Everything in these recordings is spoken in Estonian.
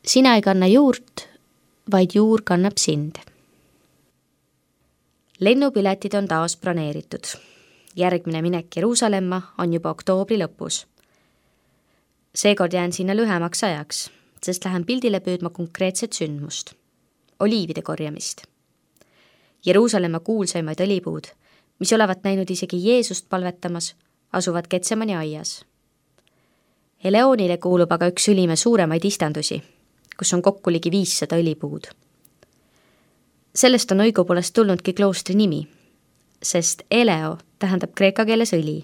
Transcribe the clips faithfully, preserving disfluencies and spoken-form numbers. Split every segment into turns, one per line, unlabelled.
Sina ei kanna juurt, vaid juur kannab sind. Lennupiletid on taas broneeritud. Järgmine minek Jeruusalemma on juba oktoobri lõpus. Seekord jään sinna lühemaks ajaks, sest lähen pildile püüdma konkreetset sündmust. Oliivide korjamist. Jeruusalemma kuulsaimaid õlipuud, mis olevat näinud isegi Jeesust palvetamas, asuvad Getsemani aias. Eleonile kuulub aga üks Ülimäe suuremaid istandusi, kus on kokku ligi viissada õlipuud. Sellest on õigupoolest tulnudki kloostri nimi, sest eleo tähendab kreeka keeles õli.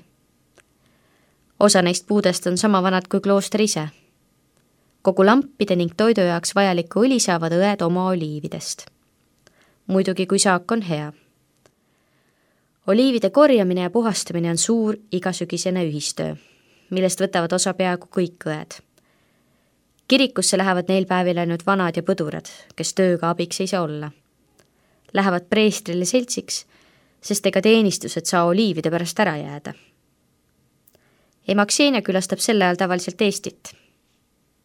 Osa neist puudest on sama vanad kui klooster ise. Kogu lampide ning toidu jaoks vajaliku õli saavad õed oma oliividest. Muidugi, kui saak on hea. Oliivide korjamine ja puhastamine on suur igasügisene ühistöö, millest võtavad osa peaaegu kõik õed. Kirikusse lähevad neil päevil ainult vanad ja põdurad, kes tööga abiks ei saa olla. Lähevad preestrile seltsiks, sest ega teenistused saa oliivide pärast ära jääda. Emaksenia külastab selle ajal tavaliselt Eestit.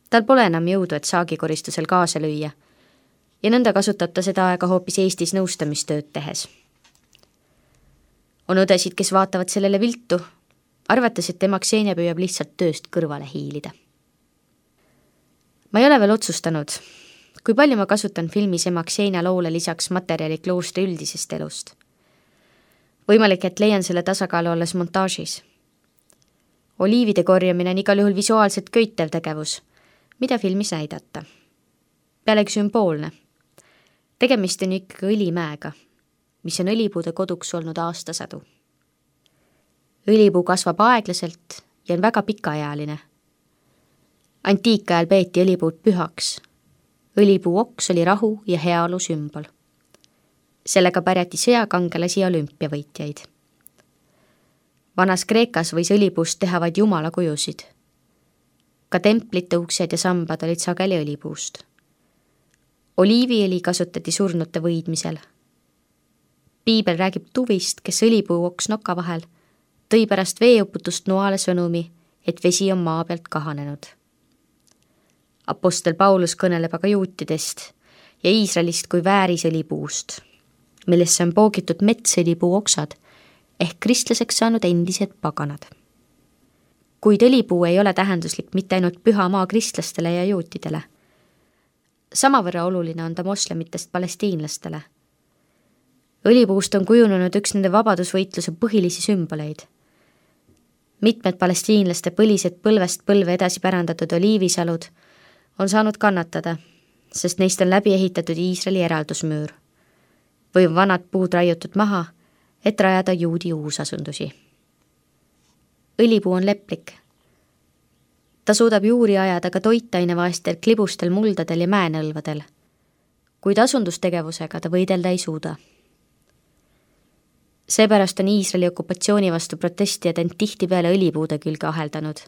Tal pole enam jõudu, et saagikoristusel kaasa lüüa, ja nõnda kasutab ta seda aega hoopis Eestis nõustamistööd tehes. On õdesid, kes vaatavad sellele viltu, arvates, et Emaksenia püüab lihtsalt tööst kõrvale hiilida. Ma ei ole veel otsustanud, kui palju ma kasutan filmis Emaksenia loole lisaks materjali kloostri üldisest elust. Võimalik, et leian selle tasakaalu alles montaažis. Oliivide korjamine on igal juhul visuaalselt köitev tegevus, mida filmis näidata. Pealegi sümboolne. Tegemist on ikkagi õlimäega, mis on õlipuude koduks olnud aastasadu. Õlipuu kasvab aeglaselt ja on väga pikaealine. Antiikajal peeti õlipuud pühaks. Õlipuu oks oli rahu ja heaolu sümbol. Sellega pärjati sõjakangelasi ja olümpiavõitjaid. Vanas Kreekas võis õlipuust teha vaid jumala kujusid. Ka templite uksed ja sambad olid sageli õlipuust. Oliiviõli kasutati surnute võidmisel. Piibel räägib tuvist, kes õlipuu oks noka vahel, tõi pärast veeuputust noale sõnumi, et vesi on maa pealt kahanenud. Apostel Paulus kõneleb aga juutidest ja Iisraelist kui väärisõlipuust, millesse on poogitud metsõlipuu oksad ehk kristlaseks saanud endised paganad. Kuid õlipuu ei ole tähenduslik mitte ainult püha maa kristlastele ja juutidele. Samavõrra oluline on ta moslemitest palestiinlastele. Õlipuust on kujunenud üks nende vabadusvõitluse põhilisi sümboleid. Mitmed palestiinlaste põlised põlvest põlve edasi pärandatud oliivisalud on saanud kannatada, sest neist on läbi ehitatud Iisraeli eraldusmüür või vanad puud raiutud maha, et rajada juudi uusasundusi. Õlipuu on leplik. Ta suudab juuri ajada ka toitainevaestel klibustel muldadel ja mäenõlvadel, kuid asundustegevusega ta võidelda ei suuda. Seepärast on Iisraeli okupatsiooni vastu protestijad end tihtipeale õlipuude külge aheldanud,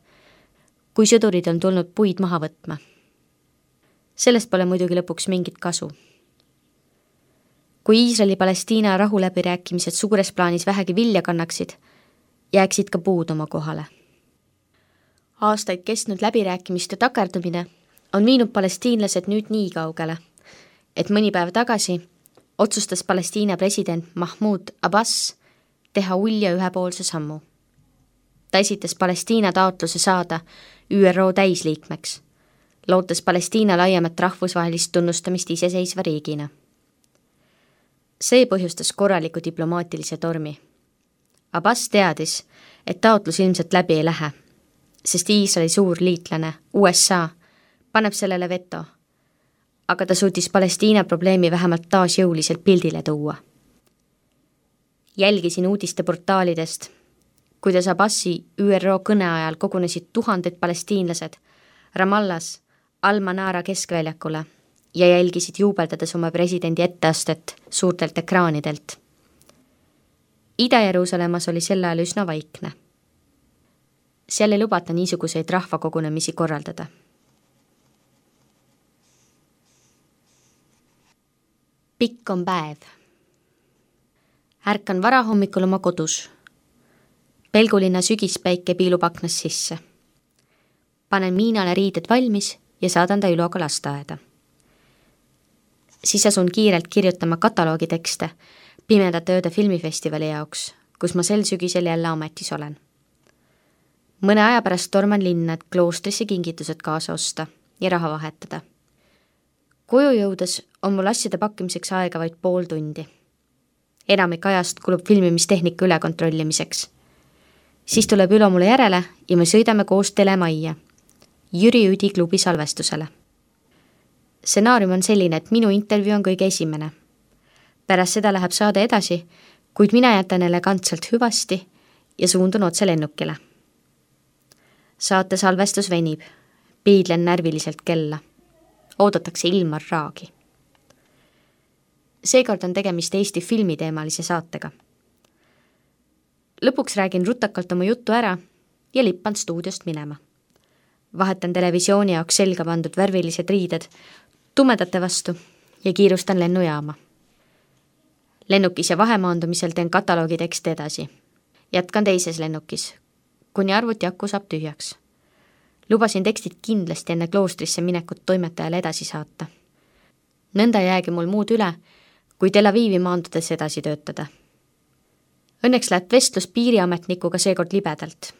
kui sõdurid on tulnud puid maha võtma. Sellest pole muidugi lõpuks mingit kasu. Kui Iisraeli-Palestiina rahuläbirääkimised suures plaanis vähegi vilja kannaksid, jääksid ka puud oma kohale. Aastaid kestnud läbirääkimiste takerdumine on viinud palestiinlased nüüd nii kaugele, et mõni päev tagasi otsustas Palestiina president Mahmoud Abbas teha ulja ühepoolse sammu. Ta esitas Palestiina taotluse saada Ü R O täisliikmeks, lootes Palestiina laiemat rahvusvahelist tunnustamist iseseisva riigina. See põhjustas korraliku diplomaatilise tormi. Abbas teadis, et taotlus ilmselt läbi ei lähe, sest Iisraeli suur liitlane U S A paneb sellele veto, aga ta suutis Palestiina probleemi vähemalt taas jõuliselt pildile tuua. Jälgisin uudiste portaalidest, kuidas Abbasi Ü R O kõne ajal kogunesid tuhanded palestiinlased Ramallas Al-Manara keskväljakule ja jälgisid juubeldades oma presidendi etteastet suurtelt ekraanidelt. Ida-Jeruusalemmas oli sel ajal üsna vaikne. Seal ei lubata niisuguseid rahvakogunemisi korraldada. Pikk on päev. Ärkan varahommikul oma kodus. Pelgulinna sügispäike piilub aknast sisse. Panen Miinale riided valmis ja saadan ta Üloga lasteaeda. Siis asun kiirelt kirjutama kataloogitekste Pimedate ööde filmifestivali jaoks, kus ma sel sügisel jälle ametis olen. Mõne aja pärast torman linna, et kloostrisse kingitused kaasa osta ja raha vahetada. Koju jõudes on mul asjade pakkimiseks aega vaid pool tundi. Enamik ajast kulub filmimistehnika üle kontrollimiseks. Siis tuleb Ülo mulle järele ja me sõidame koos telemajja, Jüri Üdi klubi salvestusele. Stsenaarium on selline, et minu intervjuu on kõige esimene. Pärast seda läheb saade edasi, kuid mina jätan elegantselt hüvasti ja suundun otse lennukile. Saate salvestus venib, piidlen närviliselt kella. Oodatakse Ilmar Raagi. Seekord on tegemist Eesti filmiteemalise saatega. Lõpuks räägin rutakalt oma juttu ära ja lippan stuudiost minema. Vahetan televisiooni jaoks selga pandud värvilised riided tumedate vastu ja kiirustan lennujaama. Lennukis ja vahemaandumisel teen kataloogi tekste edasi. Jätkan teises lennukis, kuni arvuti aku saab tühjaks. Lubasin tekstid kindlasti enne kloostrisse minekut toimetajale edasi saata. Nõnda jäägi mul muud üle, kui Tel Avivi maandudes edasi töötada. Õnneks läheb vestlus piiriametnikuga seekord libedalt.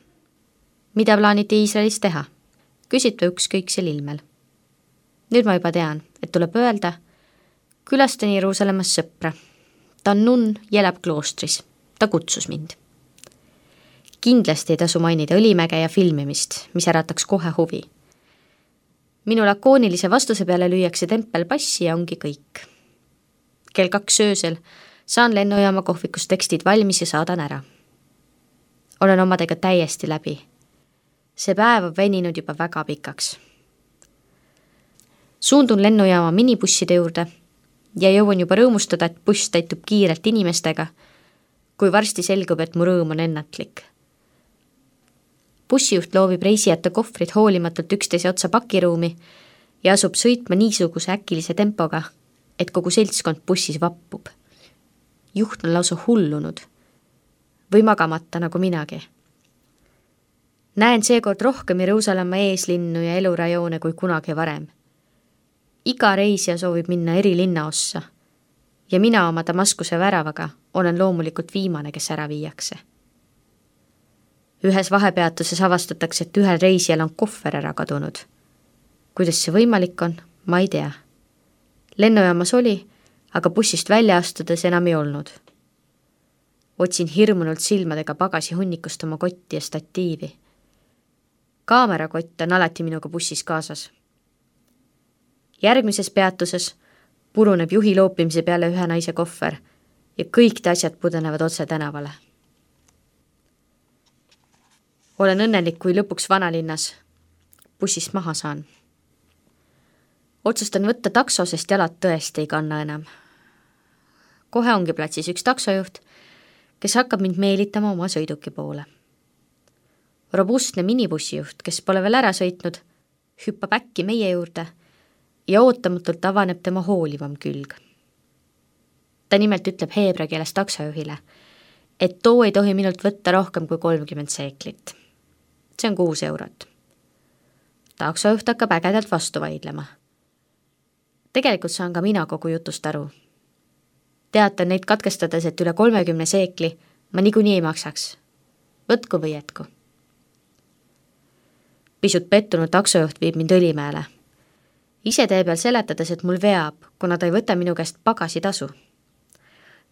Mida plaaniti Iisraelis teha? Küsid ta ükskõiksel ilmel. Nüüd ma juba tean, et tuleb öelda, külastan Jeruusalemmas sõpra. Ta on nunn ja elab kloostris. Ta kutsus mind. Kindlasti ei tasu mainida Õlimäge ja filmimist, mis ärataks kohe huvi. Minu lakoonilise vastuse peale lüüakse tempel passi ja ongi kõik. Kell kaks öösel saan lennujaama kohvikus tekstid valmis ja saadan ära. Olen omadega täiesti läbi. See päev on veninud juba väga pikaks. Suundun lennujaama minibusside juurde ja jõuan juba rõõmustada, et buss täitub kiirelt inimestega, kui varsti selgub, et mu rõõm on ennatlik. Bussijuht loovib reisijate kohvrid hoolimatult üksteise otsa pakiruumi ja asub sõitma niisuguse äkilise tempoga, et kogu seltskond bussis vappub. Juht on lausa hullunud või magamata nagu minagi. Näen seekord rohkem Jeruusalemma eeslinnu ja elurajoone kui kunagi varem. Iga reisija soovib minna eri linnaossa ja mina oma Damaskuse väravaga olen loomulikult viimane, kes ära viiakse. Ühes vahepeatuses avastatakse, et ühel reisijal on kohver ära kadunud. Kuidas see võimalik on, ma ei tea. Lennujaamas oli, aga bussist välja astudes enam ei olnud. Otsin hirmunult silmadega pagasi hunnikust oma kotti ja statiivi. Kaamerakott on alati minuga bussis kaasas. Järgmises peatuses puruneb juhi loopimise peale ühe naise kohver ja kõik te asjad pudenevad otse tänavale. Olen õnnelik, kui lõpuks vanalinnas bussist maha saan. Otsustan võtta takso, sest jalad tõesti ei kanna enam. Kohe ongi platsis üks taksojuht, kes hakkab mind meelitama oma sõiduki poole. Robustne minibussijuht, kes pole veel ära sõitnud, hüppab äkki meie juurde ja ootamatult avaneb tema hoolivam külg. Ta nimelt ütleb heebra keeles taksojuhile, et too ei tohi minult võtta rohkem kui kolmkümmend seeklit. See on kuus eurot. Taksojuht hakkab ägedalt vastu vaidlema. Tegelikult saan ka mina kogu jutust aru. Teatan neid katkestades, et üle kolmekümne seekli ma niikuinii ei maksaks. Võtku või jätku. Pisut pettunud taksojuht viib mind Õlimäele. Ise tee peal seletades, et mul veab, kuna ta ei võta minu käest pagasitasu.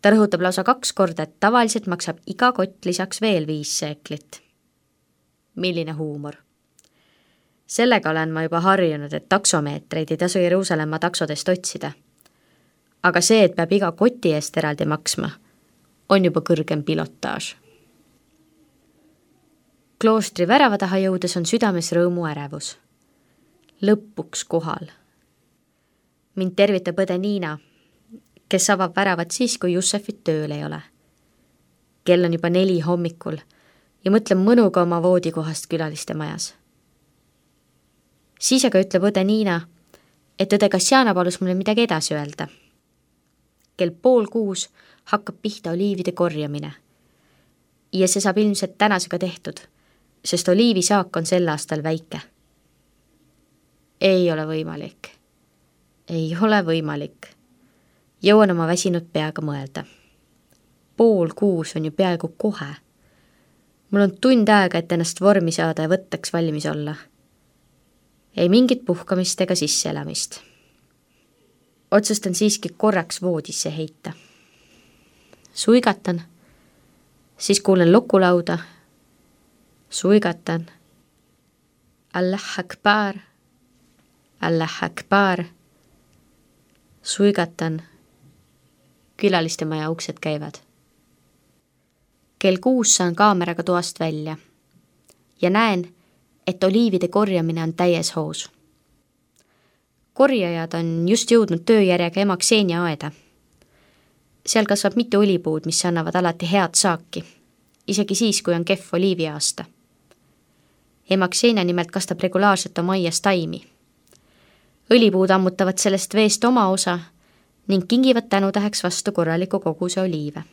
Ta rõhutab lausa kaks korda, et tavaliselt maksab iga kott lisaks veel viis seeklit. Milline huumor. Sellega olen ma juba harjunud, et taksomeetreid ei tasu Jeruusalemma taksodest otsida. Aga see, et peab iga koti eest eraldi maksma, on juba kõrgem pilotaaž. Kloostri värava taha jõudes on südames rõõmu ärevus. Lõpuks kohal. Mind tervitab õde Niina, kes avab väravat siis, kui Jussefit tööl ei ole. Kell on juba neli hommikul ja mõtlen mõnuga oma voodikohast külaliste majas. Siis aga ütleb õde Niina, et õde Kassiana palus mulle midagi edasi öelda. Kell pool kuus hakkab pihta oliivide korjamine. Ja see saab ilmselt tänasega tehtud, sest oliivisaak on sel aastal väike. ei ole võimalik. Ei ole võimalik. Jõuan oma väsinud peaga mõelda. Pool kuus on ju peaaegu kohe. Mul on tund aega, et ennast vormi saada ja võttaks valmis olla. Ei mingit puhkamist ega sisseelamist. Otsustan siiski korraks voodisse heita. Suigatan, siis kuulen lukulauda. Suigatan. Allah akbar, Allah akbar. Suigatan. Külaliste maja uksed käivad. Kell kuus saan kaameraga toast välja ja näen, et oliivide korjamine on täies hoos. Korjajad on just jõudnud tööjärjega ema Ksenia aeda. Seal kasvab mitu olipuud, mis annavad alati head saaki, isegi siis, kui on kehv oliiviaasta. Ema Ksenia nimelt kastab regulaarselt oma aias taimi. Õlipuud ammutavad sellest veest oma osa ning kingivad tänutäheks vastu korraliku koguse oliive.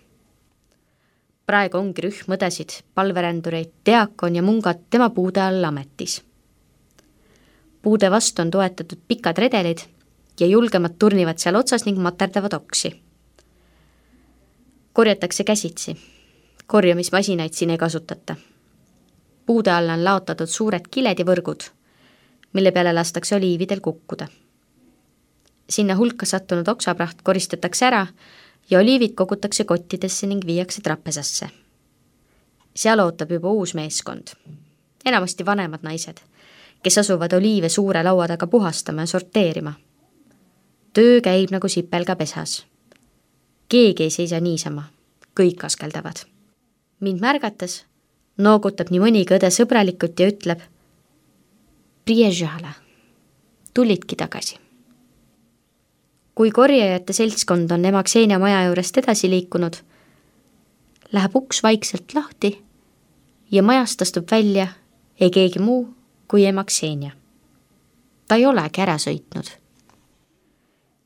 Praegu ongi rühm õdesid, palverändureid, diakon ja mungad tema puude all ametis. Puude vastu on toetatud pikad redelid ja julgemad turnivad seal otsas ning materdavad oksi. Korjatakse käsitsi. Korjamismasinaid siin ei kasutata. Puude alla on laotatud suured kiled ja võrgud, mille peale lastakse oliividel kukkuda. Sinna hulka sattunud oksapraht koristatakse ära ja oliivid kogutakse kottidesse ning viiakse trapesasse. Seal ootab juba uus meeskond. Enamasti vanemad naised, kes asuvad oliive suure laua taga puhastama ja sorteerima. Töö käib nagu sipelga pesas. Keegi ei seisa niisama, kõik askeldavad. Mind märgates noogutab nii mõnigi õde sõbralikult ja ütleb: Priježale, tulidki tagasi. Kui korjajate seltskond on ema Ksenia maja juurest edasi liikunud, läheb uks vaikselt lahti ja majast astub välja ei keegi muu kui ema Ksenia. Ta ei olegi ära sõitnud.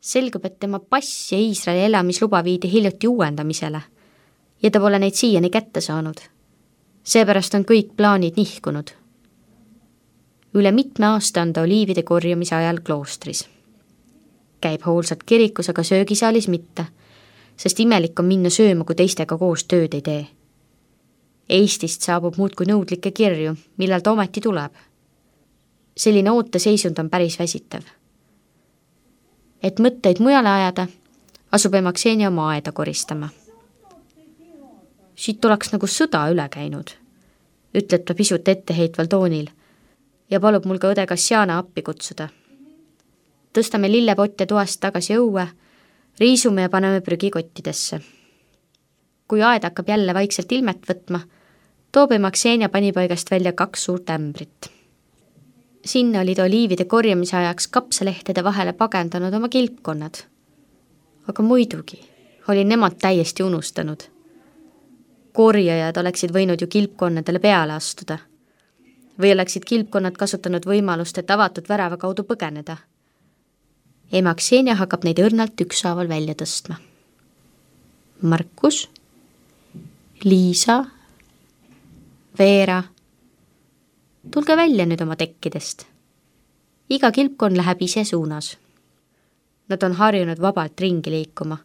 Selgub, et tema pass ja Iisraeli elamisluba viidi hiljuti uuendamisele ja ta pole neid siiani kätte saanud. Seepärast on kõik plaanid nihkunud. Üle mitme aasta on ta oliivide korjamise ajal kloostris. Käib hoolsalt kirikus, aga söögisaalis mitte, sest imelik on minna sööma, kui teistega koos tööd ei tee. Eestist saabub muudkui nõudlikke kirju, millal ta ometi tuleb. Selline ooteseisund on päris väsitav. Et mõtteid mujale ajada, asub ema Ksenia oma aeda koristama. Siit oleks nagu sõda üle käinud, ütleb ta pisut etteheitval toonil ja palub mul ka õde Kassiana appi kutsuda. Tõstame lillepotte toast tagasi õue, riisume ja paneme prügikottidesse. Kui aed hakkab jälle vaikselt ilmet võtma, toob ema Ksenia panipaigast välja kaks suurt ämbrit. Sinna olid oliivide korjamise ajaks kapsalehtede vahele pagendanud oma kilpkonnad. Aga muidugi oli nemad täiesti unustanud. Korjajad oleksid võinud ju kilpkonnadele peale astuda. Või oleksid kilpkonnad kasutanud võimalust, et avatud värava kaudu põgeneda. Ema Ksenia hakkab neid õrnalt ükshaaval välja tõstma. Markus, Liisa, Veera, tulge välja nüüd oma tekkidest. Iga kilpkon läheb ise suunas. Nad on harjunud vabalt ringi liikuma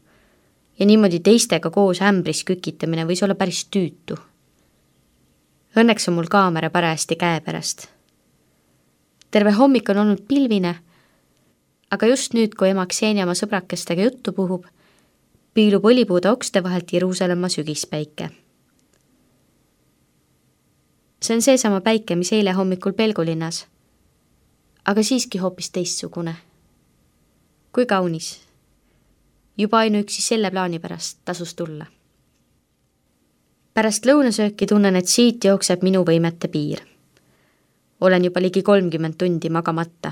ja niimoodi teistega koos ämbris kükitamine võis olla päris tüütu. Õnneks on mul kaamera parajasti käe pärast. Terve hommik on olnud pilvine, aga just nüüd, kui ema Ksenia oma sõbrakestega juttu puhub, piilub olipuude okste vahelt Jeruusalemma sügispäike. See on seesama päike, mis eile hommikul Pelgulinnas, aga siiski hoopis teistsugune. Kui kaunis. Juba ainuüksi selle plaani pärast tasus tulla. Pärast lõunasööki tunnen, et siit jookseb minu võimete piir. Olen juba ligi kolmkümmend tundi magamata.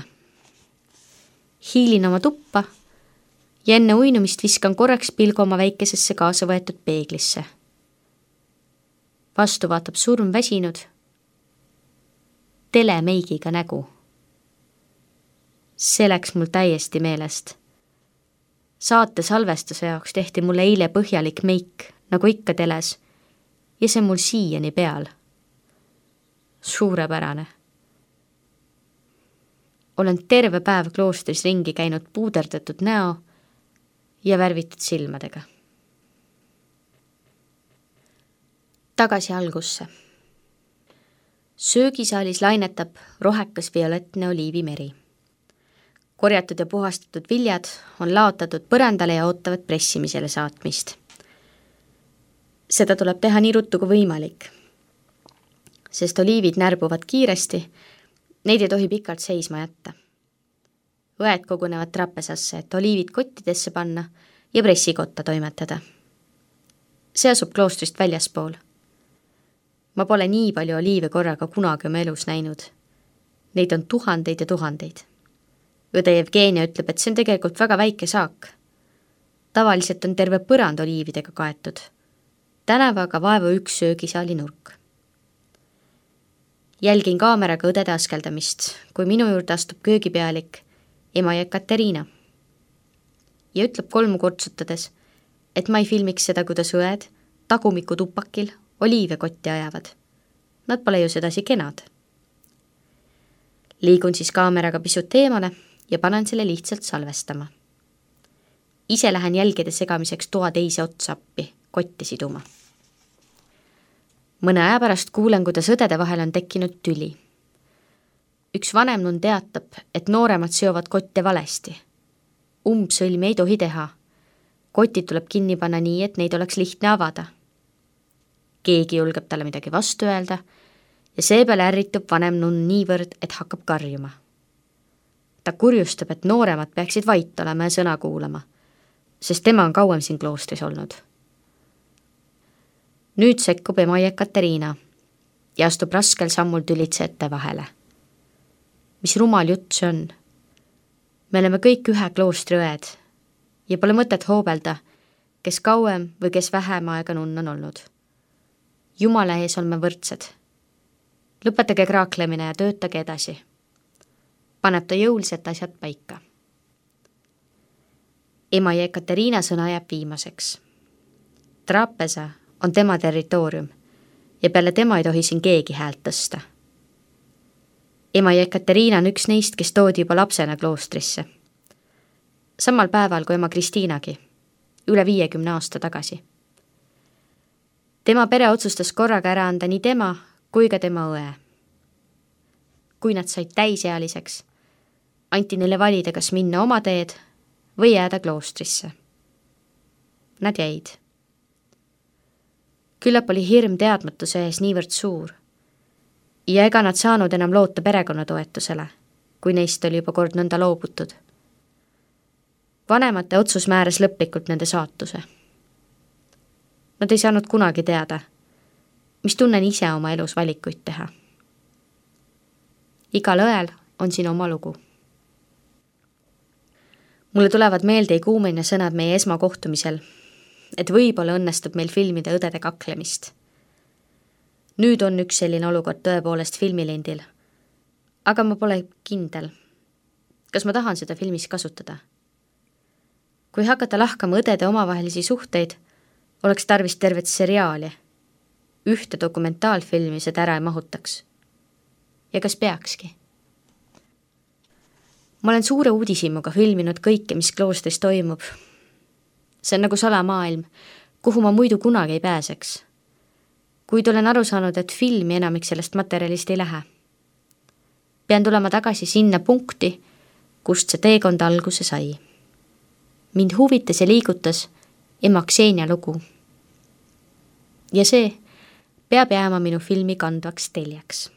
Hiilin oma tuppa ja enne uinumist viskan korraks pilgu oma väikesesse kaasa võetud peeglisse. Vastu vaatab surm väsinud, telemeigiga nägu. See läks mul täiesti meelest. Saate salvestuse jaoks tehti mulle eile põhjalik meik, nagu ikka teles, ja see mul siiani peal. Suurepärane. olen terve päev kloostris ringi käinud puuderdatud näo ja värvitud silmadega. Tagasi algusse. Söögisaalis lainetab rohekas violettne oliivimeri. Korjatud ja puhastatud viljad on laotatud põrandale ja ootavad pressimisele saatmist. Seda tuleb teha nii ruttu kui võimalik, sest oliivid närbuvad kiiresti, neid ei tohi pikalt seisma jätta. Õed kogunevad trappesasse, et oliivid kottidesse panna ja pressikotta toimetada. See asub kloostrist väljaspool. Ma pole nii palju oliive korraga kunagi oma elus näinud. Neid on tuhandeid ja tuhandeid. Õde Jevgenia ütleb, et see on tegelikult väga väike saak. Tavaliselt on terve põrand oliividega kaetud. Tänavu aga vaevu üks söögisaali nurk. Jälgin kaameraga õdede askeldamist, kui minu juurde astub köögipealik ema Jekaterina. Ja ütleb kolmu kortsutades, et ma ei filmiks seda, kuidas õed tagumiku tupakil oliive kotti ajavad. Nad pole ju sedasi kenad. Liigun siis kaameraga pisut eemale ja panen selle lihtsalt salvestama. Ise lähen jälgede segamiseks toa teise otsappi kotti siduma. Mõne aja pärast kuulen, kuidas õdede vahel on tekkinud tüli. Üks vanem nun teatab, et nooremad seovad kotte valesti. Umbsõlmi ei tohi teha. Kotid tuleb kinni panna nii, et neid oleks lihtne avada. Keegi julgeb talle midagi vastu öelda ja seepeale ärritub vanem nun niivõrd, et hakkab karjuma. Ta kurjustab, et nooremad peaksid vait olema ja sõna kuulama, sest tema on kauem siin kloostris olnud. Nüüd sekkub ema Jekaterina ja astub raskel sammul tülitsejate vahele. Mis rumal jutt see on? Me oleme kõik ühe kloostri õed ja pole mõtet hoobelda, kes kauem või kes vähem aega nunn on olnud. Jumala ees oleme võrdsed. Lõpetage kraaklemine ja töötage edasi. Paneb ta jõuliselt asjad paika. Ema Jekaterina sõna jääb viimaseks. Trapesa on tema territoorium ja peale tema ei tohi siin keegi häält tõsta. Ema Jekaterina on üks neist, kes toodi juba lapsena kloostrisse. Samal päeval kui ema Kristiinagi, üle viiekümne aasta tagasi. Tema pere otsustas korraga ära anda nii tema kui ka tema õe. Kui nad said täisealiseks, anti neile valida, kas minna oma teed või jääda kloostrisse. Nad jäid. Küllap oli hirm teadmatuse ees niivõrd suur ja ega nad saanud enam loota perekonnatoetusele, kui neist oli juba kord nõnda loobutud. Vanemate otsus määras lõplikult nende saatuse. Nad ei saanud kunagi teada, mis tunnen ise oma elus valikuid teha. Igal õel on siin oma lugu. Mulle tulevad meelde kuumine sõnad meie esmakohtumisel, et võib-olla õnnestub meil filmida õdede kaklemist. Nüüd on üks selline olukord tõepoolest filmilindil, aga ma pole kindel, kas ma tahan seda filmis kasutada. Kui hakata lahkama õdede omavahelisi suhteid, oleks tarvis tervet seriaali. Ühte dokumentaalfilmi seda ära ei mahutaks. Ja kas peakski? Ma olen suure uudishimuga filminud kõike, mis kloostris toimub. See on nagu salamaailm, kuhu ma muidu kunagi ei pääseks. Kuid olen aru saanud, et filmi enamik sellest materjalist ei lähe. Pean tulema tagasi sinna punkti, kust see teekond alguse sai. Mind huvitas ja liigutas ema Ksenia lugu. Ja see peab jääma minu filmi kandvaks teljaks.